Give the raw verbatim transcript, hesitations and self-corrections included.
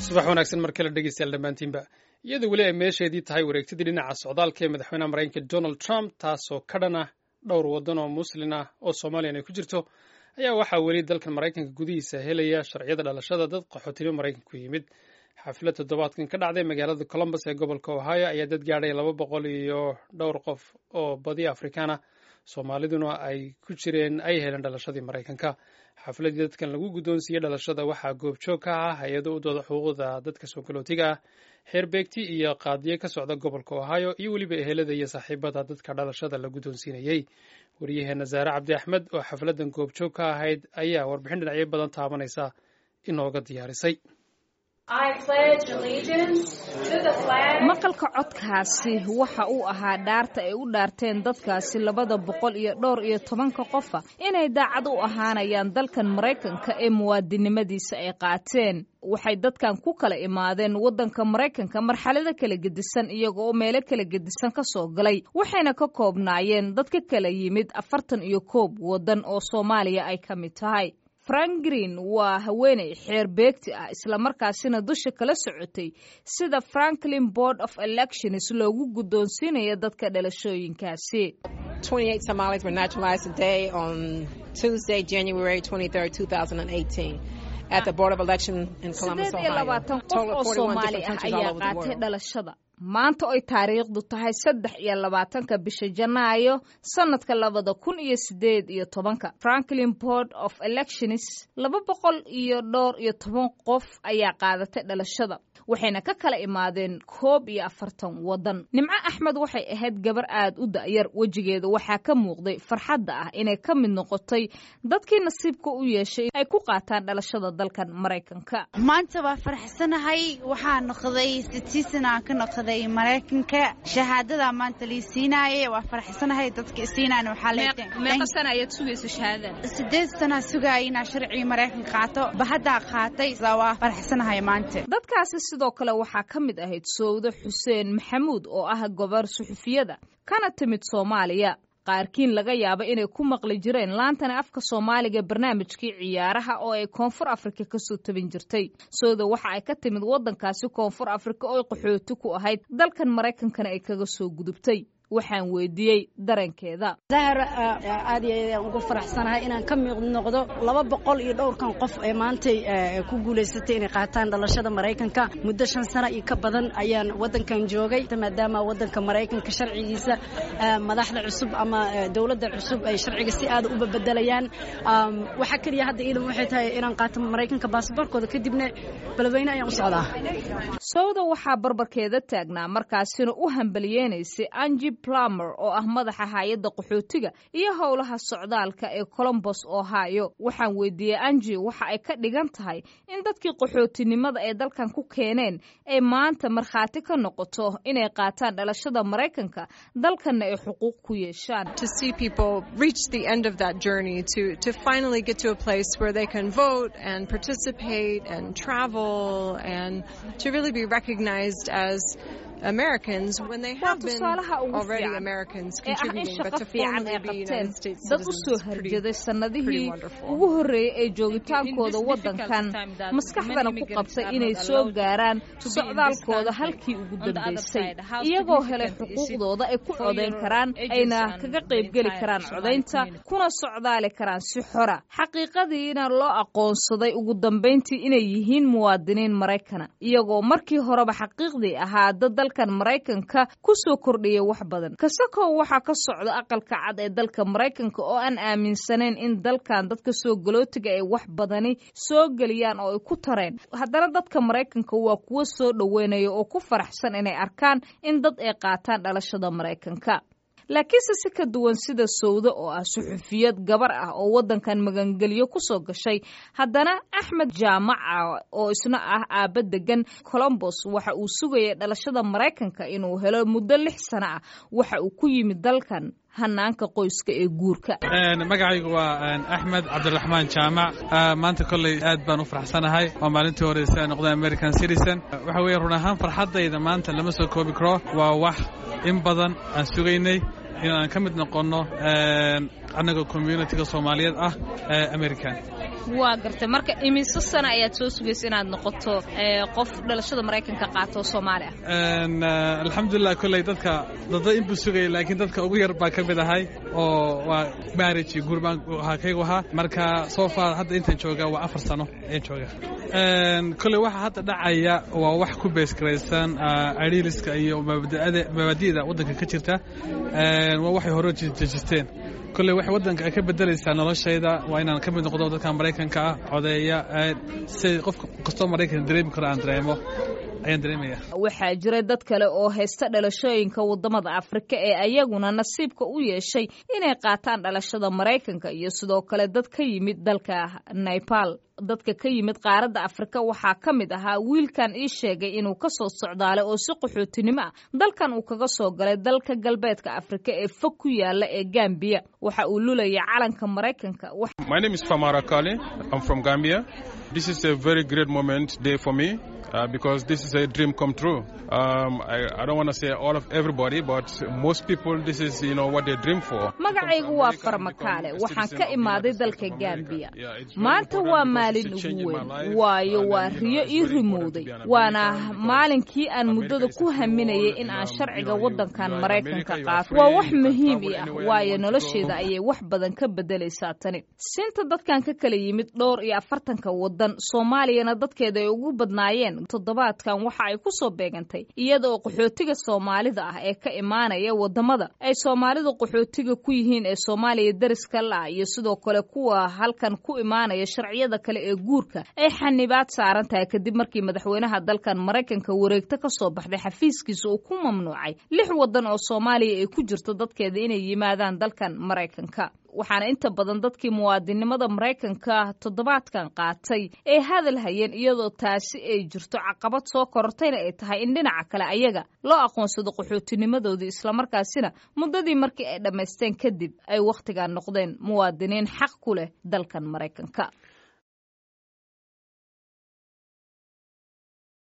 Subax wanaagsan mar kale, dhegeystayaal dhammaantiinba. Iyadoo weli ay meesheedii tahay wareegtadii dhinaca socdaalka ee madaxweynaha Maraykanka Donald Trump, taasoo ka dhan ah dhowr waddan oo Muslin ah oo Soomaaliyan ay ku jirto, ayaa waxaa weli dalkan Maraykanka gudihiisa helaya sharciyada dhalashada dad qaxootinimo Maraykanka ku yimid. Xaflad toddobaadkan ka dhacday magaalada Columbus ee gobolka Ohio ayaa dad gaadhay laba boqol iyo dhowr qof oo badi Afrikaan ah, Soomaaliduna ay ku jireen, ay heleen dhalashadii Maraykanka. Xafladii dadkan lagu guddoonsiiyey dhalashada waxaa goobjoog ka ah hay-ado u dooda xuquuqda dadka soo galootiga ah, xeerbeegti iyo qaadiye ka socda gobolka Ohio, iyo weliba ehelada iyo saaxiibada dadka dhalashada la guddoonsiinayey. Wariyaheena Zaare Cabdi Axmed oo xafladan goobjoog ka ahayd ayaa warbixin dhinacyo badan taabanaysa inooga diyaarisay. Maqalka codkaasi waxa uu ahaa dhaarta ay u dhaarteen dadkaasi labada boqol iyo dhowr iyo tobanka qofa inay daacad u ahaanayaan dalkan Maraykanka ee muwaadinimadiisa ay qaateen. Waxay dadkan ku kala imaadeen waddanka Maraykanka marxalado kala gedisan, iyaga oo meelo kala gedisan ka soo galay, waxayna ka koobnaayeen dad ka kala yimid afartan iyo koob waddan oo Soomaaliya ay ka mid tahay. Frank Green waa haweeney xeer beegti ah, islamarkaasina dusha kala socotay sida Franklin Board of Elections loogu guddoonsiinayo dadka dhalashooyinkaasi. Somalis were naturalized today on Tuesday, January twenty-third, twenty eighteen, at the Board of Election in Columbus, Sideed iyo labaatan qof oo Soomaali ah ayaa qaatay dhalashada maanta, oy taariikhdu tahay saddex iyo labaatanka bisha Janaayo sanadka labada kun iyo sideed iyo tobanka, Franklin Board of Elections. Laba boqol iyo dhowr iyo toban qof ayaa qaadatay dhalashada, waxayna ka kala imaadeen koob iyo afartan waddan. Nimco Axmed waxay ahayd gabar aad u da'yar. Wejigeeda waxaa ka muuqday farxadda ah inay ka mid noqotay dadkii nasiibka u yeeshay ay ku qaataan dhalashada dalkan Maraykanka. Maanta waa faraxsanahay. Waxaa noqday citizen aan ka noqday Maraykanka. Shahaadada maanta lii siinaaye, waa faraxsanahay. Dadka isiinaan waxaa Meeqa sana ayaad sugaysa shahaadada? Sideed sana sugaaya inaa sharcigii Maraykanka qaato, bahaddaa qaatay. Waa faraxsanahay maanta. Dadkaasi sidoo kale waxaa ka mid ahayd Sowdo Xuseen Maxamuud oo ah gobar suxufiyada kana timid Soomaaliya, qaarkiin laga yaabo inay ku maqli jireen laantana afka Soomaaliga barnaamijkii ciyaaraha oo ay Koonfur Afrika kasoo tabin jirtay. Sowda waxa ay ka timid waddankaasi Koonfur Afrika oo qaxooti ku ahayd, dalkan Maraykankana ay kaga soo gudubtay. Waxaan weydiiyey dareenkeeda. Zahar, aad iyo aad aan ugu faraxsanahay inaan ka mid noqdo laba boqol iyo dhowrkan qof ee maantay ku guulaysatay inay qaataan dhalashada Maraykanka. Muddo shan sano iyo ka badan ayaan waddankan joogay, maadaama waddanka Maraykanka sharcigiisa madaxda cusub ama dowladda cusub ay sharciga si aad u bedelayaan. Waxa kaliya hadda iidan waxay tahay inaan qaato Maraykanka baasaboorkooda, kadibna Beledweyne ayaan u socdaa. Sowda waxaa barbarkeeda taagnaa, markaasina u hambaliyeynaysay, Angie Plumer oo ah madaxa hay-adda qaxootiga iyo howlaha socdaalka ee Columbus, Ohio. Waxaan weydiiyey Angie waxa ay ka dhigan tahay in dadkii qaxootinimada ee dalkan ku keeneen ay maanta markhaati ka noqoto inay qaataan dhalashada Maraykanka, dalkanna ay xuquuq ku yeeshaan. To see people reach the end of that journey, to, to finally get to a place where they can vote and participate and travel and to really be recognized as Americans when they have been already Americans contributing, but to formally be United States Dad u soo harjaday sannadihii ugu horreeyey ee joogitaankooda waddankan, maskaxdana ku qabtay inay soo gaaraan socdaalkooda halkii ugu dambaysay, iyagoo helay xuquuqdooda ay ku codayn karaan, ayna kaga qaybgeli karaan codaynta, kuna socdaali karaan si xora, xaqiiqadiina loo aqoonsaday ugu dambayntii inay yihiin muwaadiniin Maraykana, iyagoo markii horeba xaqiiqdii ahaa dad dalkan Maraykanka ku soo kordhiyay wax badan. Kasakow waxaa ka socda Aqalka Cad ee dalka Maraykanka oo aan aaminsanayn in dalkan dadka soo galootiga ay wax badani soo geliyaan oo ay ku tareen, haddana dadka Maraykanka waa kuwo soo dhoweynaya oo ku faraxsan inay arkaan in dad ay qaataan dhalashada Maraykanka. Laakiinse si ka duwan sida Sowdo oo ah suxufiyad gabar ah oo waddankan magangelyo ku soo gashay, haddana Axmed Jaamaca oo isna ah aabba degan Columbus waxa uu sugayay dhalashada Maraykanka inuu helo muddo lix sano ah. Waxa uu ku yimid dalkan hanaanka qoyska ee guurka. Magacaygu waa Axmed Cabdiraxmaan Jaamac. Maanta kolley aad baan u faraxsanahay. Waa maalintii horeysa aan noqday American citizen. Waxa weeye, run ahaan farxaddayda maanta lama soo koobi karo. Waa wax in badan aan sugaynay in aan ka mid noqonno annaga community-ga Soomaaliyeed ah ee American. Waa gartay. Marka imise sano ayaad soo sugaysa inaad noqoto qof dhalashada Maraykanka qaato Soomaali ah? Alxamdulilah, kolley dadka dada inbuu sugayay, laakiin dadka ugu yar baa ka mid ahay oo waa marriage iyo guur baan ahaa kaygu ahaa. Marka so far hadda intaan joogaa waa afar sano ayaan joogaa. Kolley waxa hadda dhacaya waa wax ku beesgaraysan idealiska iyo mabaadi'da waddanka ka jirta, waa waxay hore dejisteen. Kolley waxay waddanka ay ka bedelaysaa noloshayda waa inaan ka mid noqdo dadka Maraykanka ah, codeeya, si qof kastoo Maraykan dareemi karo aan dareemo ayaan dareemaya. Waxaa jira dad kale oo haysta dhalashooyinka waddamada Afrika ee ayaguna nasiibka u yeeshay inay qaataan dhalashada Maraykanka, iyo sidoo kale dad ka yimid dalka Nepal. Dadka ka yimid qaaradda Afrika waxaa ka mid ahaa wiilkan ii sheegay inuu ka soo socdaalay oo si qaxootinimo ah dalkan uu kaga soo galay dalka galbeedka Afrika ee fog ku yaala ee Gambiya. Waxa uu lulayay calanka Maraykanka. My name is Famara Kale. I'm from Gambia. This is a very great moment day for me. Uh, because this is a dream come true. Um, I, I don't want to say all of everybody, but most people, this is, you know, what they dream for. Magacaygu waa Farmakaale, waxaan ka imaaday dalka Gambiya. Maanta waa maalin ugu weyn, waayo waa riyo ii rimowday, waana maalinkii aan muddada ku haminayay in aan sharciga waddankan Maraykanka qaato. Waa wax muhiim ii ah, waayo nolosheeda ayay wax badan ka bedelaysaa tani. Sinta dadkan ka kala yimid dhowr iyo afartanka waddan, Soomaaliyana dadkeeda ay ugu badnaayeen, toddobaadkan waxa ay ku soo beegantay iyada oo qaxootiga Soomaalida ah ee ka imaanaya waddamada ay Soomaalidu qaxootiga ku yihiin ee Soomaaliya dariska la-ah, iyo sidoo kale kuwa halkan ku imaanaya sharciyada kale ee guurka, ay xanibaad saaran tahay kadib markii madaxweynaha dalkan Maraykanka wareegto ka soo baxday xafiiskiisa uu ku mamnuucay lix waddan oo Soomaaliya ay ku jirto dadkeeda inay yimaadaan dalkan Maraykanka. Waxaana inta badan dadkii muwaadinimada Maraykanka toddobaadkan qaatay ay hadal hayeen iyadoo taasi ay jirto caqabad soo korortayna ay tahay in dhinaca kale ayaga loo aqoonsado qaxootinimadoodii, islamarkaasina muddadii markii ay dhammaysteen kadib ay wakhtigan noqdeen muwaadiniin xaq ku leh dalkan Maraykanka.